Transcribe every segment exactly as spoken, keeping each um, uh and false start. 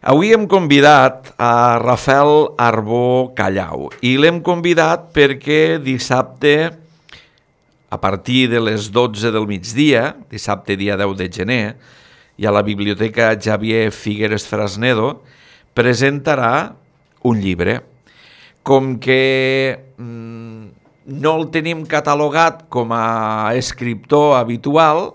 Avui hem convidat a Rafael Arbó Callau i l'hem convidat perquè dissabte, a partir de les dotze del migdia, dissabte dia deu de gener, i a la Biblioteca Xavier Figueres Frasnedo, presentarà un llibre. Com que mmm, no el tenim catalogat com a escriptor habitual,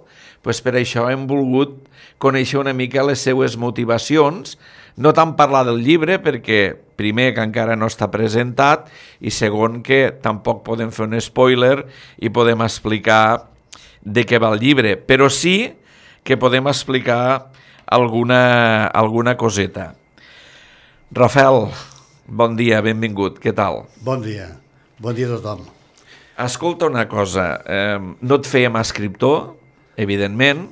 doncs per això hem volgut conèixer una mica les seues motivacions, no tant parlar del llibre, perquè primer que encara no està presentat i segon que tampoc podem fer un spoiler i podem explicar de què va el llibre, però sí que podem explicar alguna, alguna coseta. Rafael, bon dia, benvingut, què tal? Bon dia, bon dia a tothom. Escolta una cosa, eh, no et fèiem escriptor, evidentment,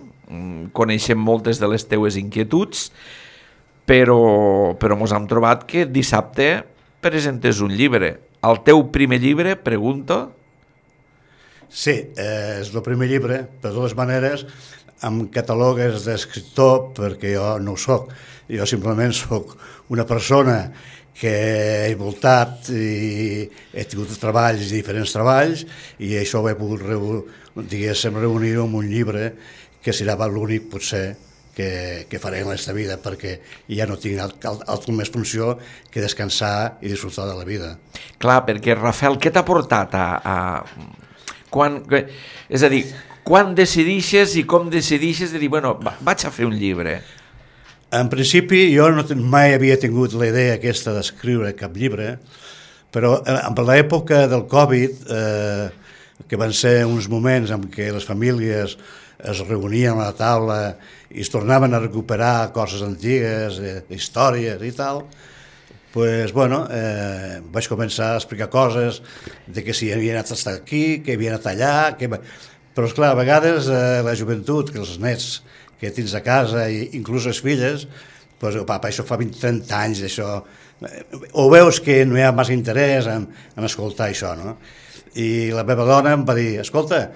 coneixem moltes de les teues inquietuds, però, però mos hem trobat que dissabte presentes un llibre. El teu primer llibre, pregunto? Sí, eh, és el primer llibre, per de totes maneres, em catalogues d'escriptor perquè jo no ho soc. Jo simplement soc una persona que he voltat i he tingut treballs, diferents treballs, i això ho he pogut diguéssim, reunir en un llibre que serà l'únic, potser, que, que faré en aquesta vida, perquè ja no tinc altra més funció que descansar i disfrutar de la vida. Clar, perquè, Rafael, què t'ha portat a... a... Quan... És a dir, quan decidixes i com decidixes de dir, bueno, va, vaig a fer un llibre? En principi, jo no, mai havia tingut la idea aquesta d'escriure cap llibre, però en l'època del Covid, eh, que van ser uns moments en què les famílies es reunien a la taula i es tornaven a recuperar coses antigues, eh, històries i tal, pues, bueno, eh, vaig començar a explicar coses de que si havia anat a estar aquí, que havia anat allà, que... però esclar, a vegades eh, la joventut, que els nets que tens a casa, i inclús les filles, pues, oh, papa, això fa vint trenta anys, això... o veus que no hi ha massa interès en, en escoltar això, no? I la meva dona em va dir, escolta,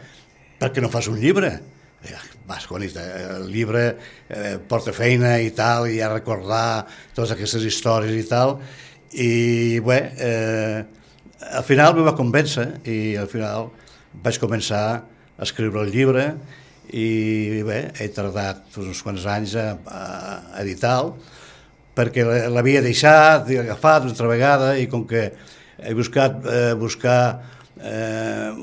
per què no fas un llibre? Vas, conita, el llibre eh, porta feina i tal, i a recordar totes aquestes històries i tal, i bé, eh, al final me va convèncer i al final vaig començar a escriure el llibre i bé, he tardat uns quants anys a, a editar-lo, perquè l'havia deixat i agafat una altra vegada, i com que he buscat eh, buscar, eh,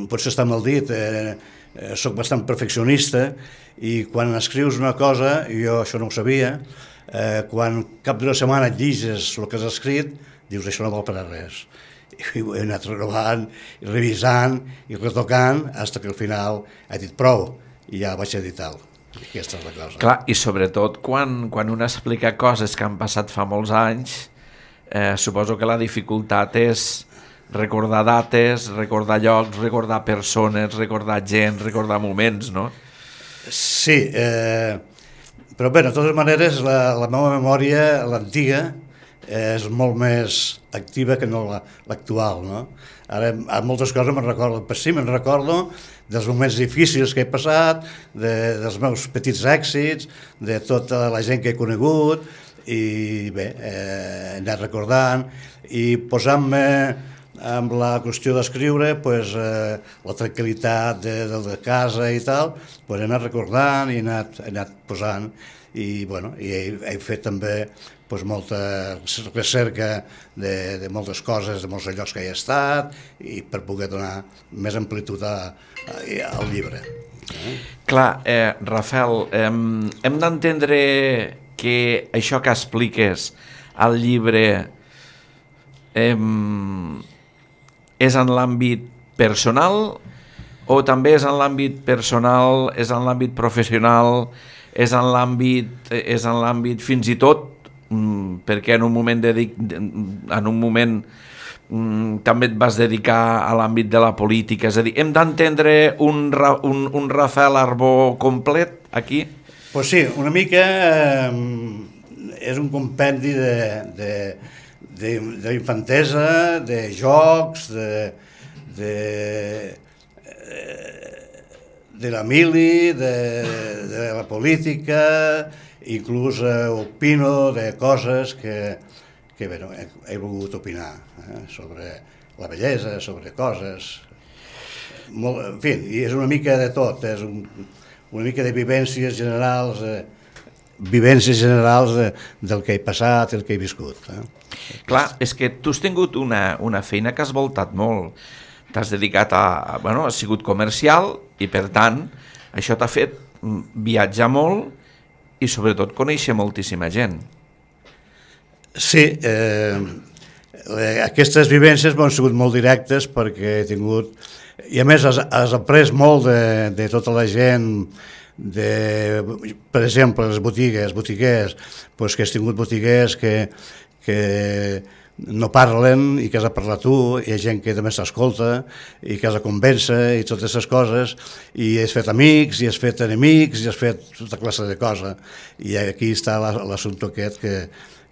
potser està mal dit, eh, Eh, soc bastant perfeccionista, i quan escrius una cosa, jo això no ho sabia, eh, quan cap d'una setmana et lliges el que has escrit, dius això no val per a res. I ho he anat renovant, i revisant i retocant, fins que al final he dit prou, i ja vaig editar-lo. Aquesta és la cosa. Clar, i sobretot quan, quan un explica coses que han passat fa molts anys, eh, suposo que la dificultat és recordar dates, recordar llocs, recordar persones, recordar gent, recordar moments, no? Sí, eh, però bé, de totes maneres, la, la meva memòria, l'antiga, és molt més activa que no l'actual, no? Ara, a moltes coses me'n recordo, però sí, me'n recordo dels moments difícils que he passat, de, dels meus petits èxits, de tota la gent que he conegut, i bé, eh, he anat recordant, i posant-me amb la qüestió d'escriure, pues, eh, la tranquil·litat de, de, de casa i tal, pues, he anat recordant i he anat, he anat posant, i, bueno, i he, he fet també pues, molta recerca de, de moltes coses, de molts llocs que he estat, i per poder donar més amplitud a, a, al llibre. Eh? Clar, eh, Rafael, eh, hem d'entendre que això que expliques al llibre eh, és en l'àmbit personal o també és en l'àmbit personal, és en l'àmbit professional, és en l'àmbit, és en l'àmbit fins i tot, perquè en un moment, dedic, en un moment també et vas dedicar a l'àmbit de la política, és a dir, hem d'entendre un, un, un Rafael Arbó complet aquí? Pues sí, una mica eh, és un compendi de... de d'infantesa, de jocs, de, de, de la mili, de, de la política, inclús eh, opino de coses que, que bé, no, he, he volgut opinar eh, sobre la bellesa, sobre coses... Molt, en fi, és una mica de tot, és un, una mica de vivències generals, eh, vivències generals de, del que he passat, el que he viscut. Eh? Clar, és que tu has tingut una, una feina que has voltat molt. T'has dedicat a... Bueno, has sigut comercial i, per tant, això t'ha fet viatjar molt i, sobretot, conèixer moltíssima gent. Sí, eh, aquestes vivències m'han sigut molt directes perquè he tingut... I a més has, has après molt de, de tota la gent, de, per exemple, les botigues, botiguers, doncs que has tingut botiguers que, que no parlen i que has de parlar tu, hi ha gent que també s'escolta i que has de convèncer i totes aquestes coses, i has fet amics, i has fet enemics, i has fet tota classe de coses. I aquí està l'assumpte aquest que,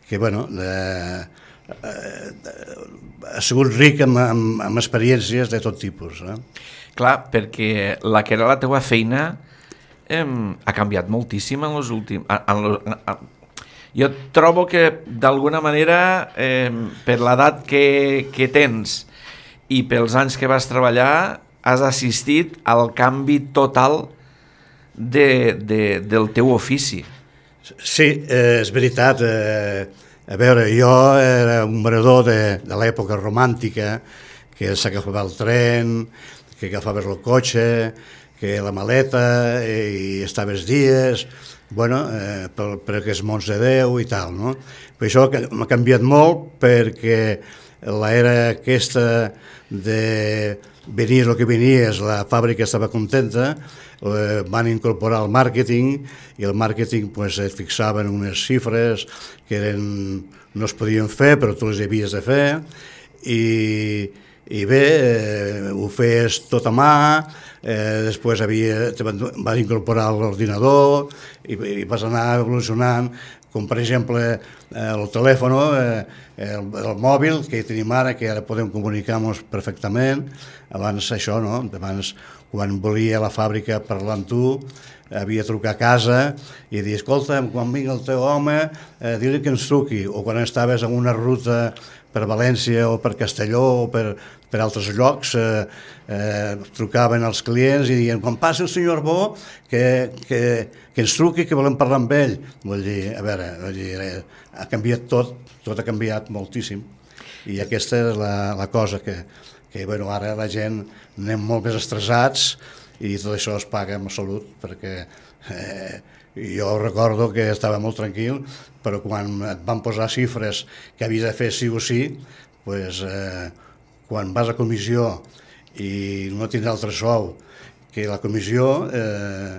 que bueno, de, ha sigut ric amb, amb, amb experiències de tot tipus. Eh? Clar, perquè la que era la teua feina eh, ha canviat moltíssim en els últims... En lo, en, jo trobo que, d'alguna manera, eh, per l'edat que, que tens i pels anys que vas treballar, has assistit al canvi total de, de, del teu ofici. Sí, eh, és veritat. Eh, A veure, jo era un venedor de, de l'època romàntica, que s'agafava el tren, que agafaves el cotxe, que la maleta, i estaves dies, bueno, eh, per, per aquests mons de Déu i tal, no? Però això m'ha canviat molt perquè l'era aquesta de venir el que venies, la fàbrica estava contenta, eh, van incorporar el màrqueting i el màrqueting pues, et fixaven unes xifres que eren, no es podien fer però tu les havies de fer i, i bé, eh, ho feies tot a mà, eh, després havia, van, van incorporar l'ordinador i, i vas anar evolucionant, com per exemple eh, el telèfon, eh, el, el mòbil que tenim ara, que ara podem comunicar-nos perfectament. Abans això, no? Abans, quan volia a la fàbrica parlar amb tu, havia de trucar a casa i dir, escolta, quan vingui el teu home, eh, dir-li que ens truqui. O quan estaves en una ruta per València o per Castelló o per, per altres llocs, eh, eh, trucaven als clients i diuen, quan passi el senyor Arbó, que, que, que ens truqui, que volem parlar amb ell. Vull dir, a veure, vull dir, eh, ha canviat tot, tot ha canviat moltíssim. I aquesta és la, la cosa que, que bueno, ara la gent anem molt més estressats i tot això es paga amb salut, perquè eh, jo recordo que estava molt tranquil, però quan et van posar xifres que havies de fer sí o sí, pues, eh, quan vas a comissió i no tindrà altre sou que la comissió, eh,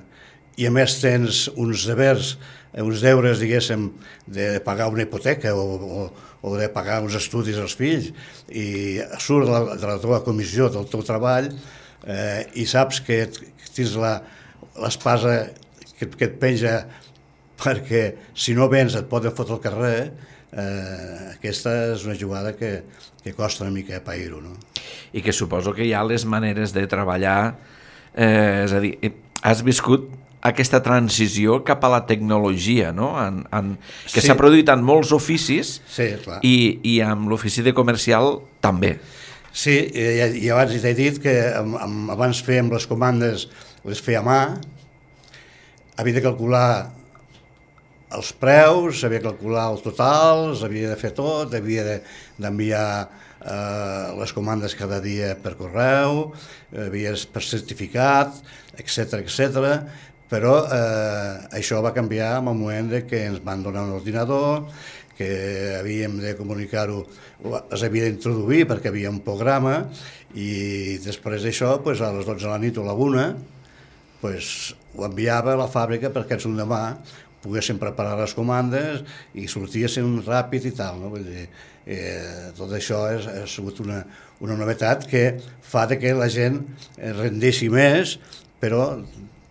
i a més tens uns devers, uns deures, diguéssim, de pagar una hipoteca o, o, o de pagar uns estudis als fills, i surt de la, de la teva comissió, del teu treball, eh, i saps que tens l'espasa que, que et penja perquè si no vens et poden fotre al carrer, eh, aquesta és una jugada que, que costa una mica pair-ho, no? I que suposo que hi ha les maneres de treballar, eh, és a dir, has viscut aquesta transició cap a la tecnologia, no? En, en, que s'ha sí. produït en molts oficis, sí, clar. i, i amb l'ofici de comercial també. Sí, i, i abans t'he dit que amb, amb, abans fèiem les comandes, les feia a mà, havia de calcular els preus, havia de calcular els totals, havia de fer tot, havia d'enviar de, eh, les comandes cada dia per correu, havia per certificat, etcètera, etcètera. Però eh, això va canviar en el moment de que ens van donar un ordinador, que havíem de comunicar-ho, es havia d'introduir perquè havia un programa, i després d'això, pues, a les dotze de la nit o a la una, pues, ho enviava a la fàbrica perquè els l'endemà poguessin preparar les comandes i sortissin ràpid i tal, no? Vull dir, eh, tot això és, ha sigut una, una novetat que fa que la gent rendeixi més, però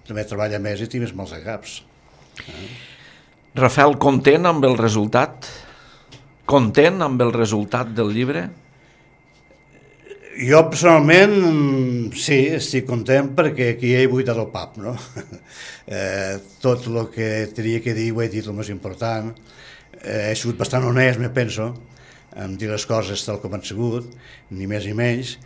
també treballa més i té més mals de caps. Eh? Rafael, content amb el resultat? Content amb el resultat del llibre? Jo personalment sí, estic content perquè aquí he buidat el pap, no? Eh, tot el que tenia que dir ho he dit el més important. Eh, he sigut bastant honest, me penso, en dir les coses tal com han sigut, ni més ni menys,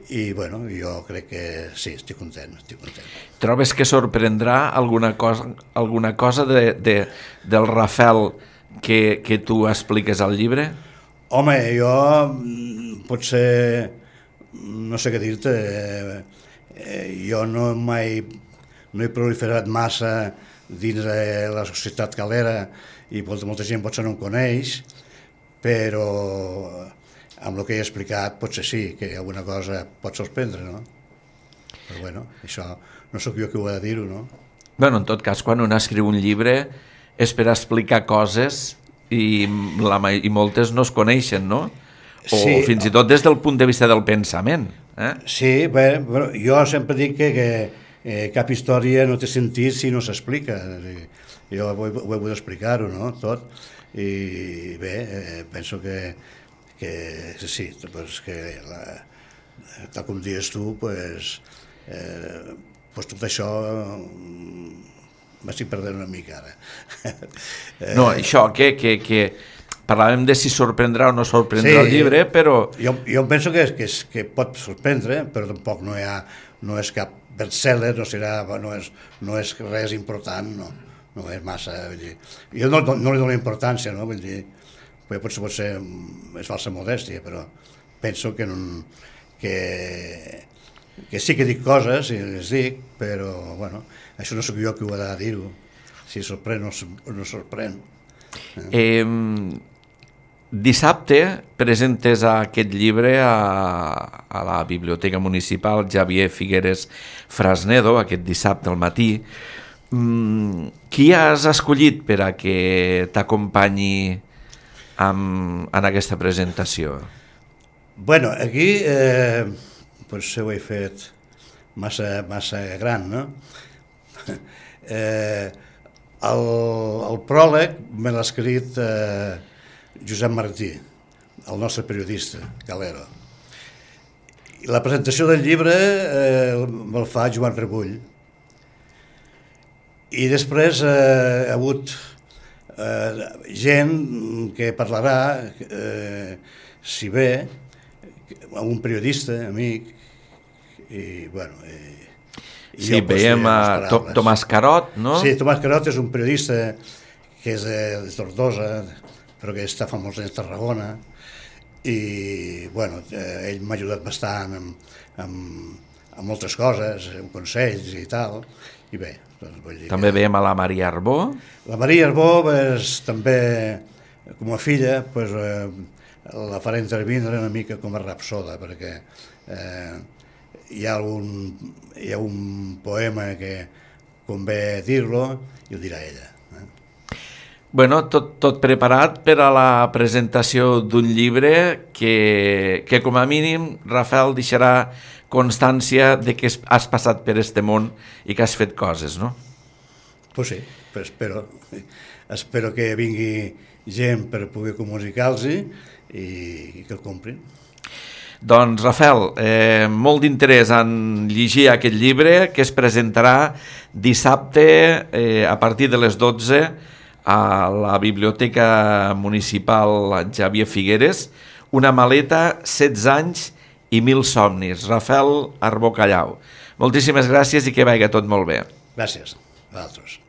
i bueno, jo crec que sí, estic content, estic content. Trobes que sorprendrà alguna cosa, alguna cosa de, de, del Rafel que, que tu expliques al llibre? Home, jo potser, no sé què dir-te, eh, jo no mai no he proliferat massa dins de la societat calera i molta gent potser no em coneix, però amb el que he explicat potser sí, que alguna cosa pot sorprendre, no? Però bueno, això no sóc jo qui ho ha de dir-ho, no? Bueno, en tot cas, quan un escriu un llibre és per explicar coses i, la, i moltes no es coneixen, no? O sí, fins i tot des del punt de vista del pensament. Eh? Sí, bé, però jo sempre dic que, que eh, cap història no té sentit si no s'explica. Jo ho he, ho he pogut explicar-ho, no?, tot. I bé, eh, penso que, que sí, pues que la, tal com dius tu, pues, eh, pues tot això m'estic perdent una mica ara. No, això, que, que, que parlàvem de si sorprendrà o no sorprendrà sí, el llibre, però... Jo, jo penso que, que, que pot sorprendre, però tampoc no, hi ha, no és cap best-seller, no, serà, no, és, no és res important, no, no és massa... Vull dir, jo no, no, no li dono importància, no? Vull dir, potser pot ser és falsa modèstia, però penso que, no, que, que sí que dic coses, i les dic, però bueno, això no sóc jo qui ho ha de dir-ho, si sorprèn o no sorprèn. Eh? Eh, dissabte presentes aquest llibre a, a la Biblioteca Municipal Xavier Figueres Frasnedo, aquest dissabte al matí. Mm, qui has escollit per a que t'acompanyi amb, en aquesta presentació? Bueno, aquí eh, potser ho he fet massa, massa gran, no? eh, el, el pròleg me l'ha escrit eh, Josep Martí, el nostre periodista, Calero. I la presentació del llibre eh, me'l fa Joan Rebull. I després eh, ha hagut eh, gent que parlarà, eh, si bé, un periodista, amic, i bueno... I, i sí, veiem a Tomàs Carot, no? Sí, Tomàs Carot és un periodista que és de, de Tortosa, però que està fa molts anys a Tarragona, i bueno, eh, ell m'ha ajudat bastant amb, amb, amb moltes coses, amb consells i tal, i bé, doncs vull dir... També que... veiem a la Maria Arbó. La Maria Arbó, pues, també, com a filla, pues, eh, la faré intervindre una mica com a rapsoda, perquè eh, hi ha un, hi ha un poema que convé dir-lo i ho dirà ella. Eh? Bueno, tot, tot preparat per a la presentació d'un llibre que, que com a mínim, Rafel, deixarà constància de que has passat per este món i que has fet coses, no? Pues sí, pues espero, espero que vingui gent per poder comunicar-los i, i que el comprin. Doncs, Rafel, eh, molt d'interès en llegir aquest llibre que es presentarà dissabte eh, a partir de les dotze a la Biblioteca Municipal Xavier Figueres, una maleta, setze anys i mil somnis. Rafel Arbó Callau. Moltíssimes gràcies i que vagi tot molt bé. Gràcies a vosaltres.